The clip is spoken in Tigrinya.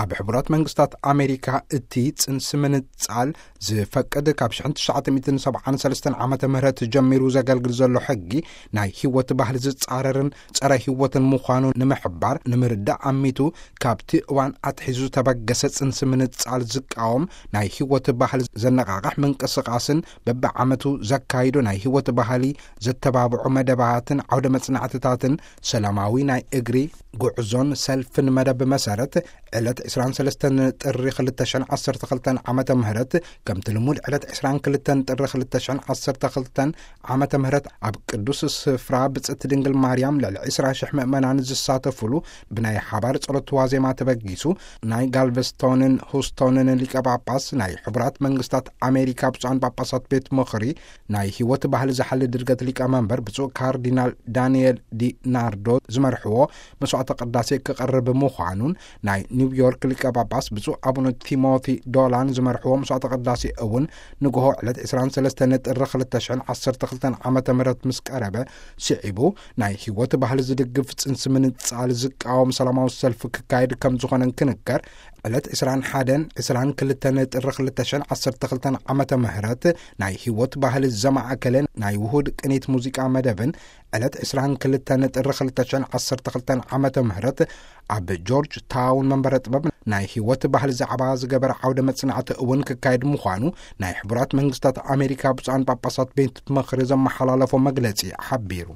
ኣብ ሕቡራት መንግስታት ኣሜሪካ እቲ ጽንሲ ምንጻል ዝፈቅድ ካብ ሽሕን ትሽዓተ ሚእትን ሰብዓን ሰለስተን ዓመተ ምህረት ጀሚሩ ዘገልግል ዘሎ ሕጊ፣ ናይ ህይወት ባህል ዝጻረርን ጸረ ህይወትን ምዃኑ ንምሕባር ንምርዳእ ኣሚቱ፣ ካብቲ እዋን ኣትሒዙ ዝተበገሰ ጽንሲ ምንጻል ዝቃወም ናይ ህይወት ባህል ዘነቓቕሕ ምንቅስቓስን በብዓመቱ ዘካይዶ ናይ ህይወት ባህሊ ዘተባብዑ መደባትን ዓውደ መጽናዕትታትን ሰላማዊ ናይ እግሪ ጉዕዞን ሰልፍን መደብ መሰረት፣ ዕለት ዕስራን ሰለስተን ጥሪ ክልተ ሽሕን ዓሰርተ ክልተን ዓመተ ምህረት፣ ከምቲ ልሙድ ዕለት ዕስራን ክልተን ጥሪ ክልተ ሽሕን ዓሰርተ ክልተን ዓመተ ምህረት፣ ኣብ ቅዱስ ስፍራ ብጽእቲ ድንግል ማርያም ልዕሊ ዕስራ ሽሕ ምእመናን ዝሳተፉሉ ብናይ ሓባር ጸሎት ዋዜማ ተበጊሱ፣ ናይ ጋልቨስቶንን ሁስቶንን ሊቀ ጳጳስ፣ ናይ ሕቡራት መንግስታት ኣሜሪካ ብፁዓን ጳጳሳት ቤት ምኽሪ ናይ ህይወት ባህሊ ዝሓሊ ድርገት ሊቀመንበር ብፁዕ ካርዲናል ዳንኤል ዲ ናርዶ ዝመርሕዎ መስዋዕተ ቅዳሴ ክቐርብ ምዃኑን፣ ናይ ኒውዮርክ ሊቀ ጳጳስ ብፁዕ ኣቡነ ቲሞቲ ዶላን ዝመርሕዎ መስዋዕተ ቅዳሴ እውን ንግሆ ዕለት ዕስራን ሰለስተን ጥሪ ክልተ ሽሕን ዓሰርተ ክልተን ዓመተ ምህረት ምስ ቀረበ፣ ስዒቡ ናይ ህይወት ባህሊ ዝድግፍ ጽንሲ ምንጻል ዝቃወም ሰላማዊ ሰልፊ ክካየድ ከም ዝኾነን ክንከር፣ ዕለት ዕስራን ሓደን ዕስራን ክልተን ጥሪ ክልተ ሽሕን ዓሰርተ ክልተን ዓመተ ምህረት ናይ ህይወት ባህሊ ዘማእከለ ናይ ውሁድ ቅኒት ሙዚቃ መደብን፣ ዕለት ዕስራን ክልተን ጥሪ ክልተ ሽሕን ዓሰርተ ክልተን ዓመተ ምህረት ኣብ ጆርጅ ታውን መንበረ ጥበብ ናይ ህይወት ባህሊ ዛዕባ ዝገበረ ዓውደ መጽናዕቲ እውን ክካየድ ምዃኑ ናይ ሕቡራት መንግስታት ኣሜሪካ ብፁዓን ጳጳሳት ቤት ምኽሪ ዘመሓላለፎ መግለጺ ሓቢሩ።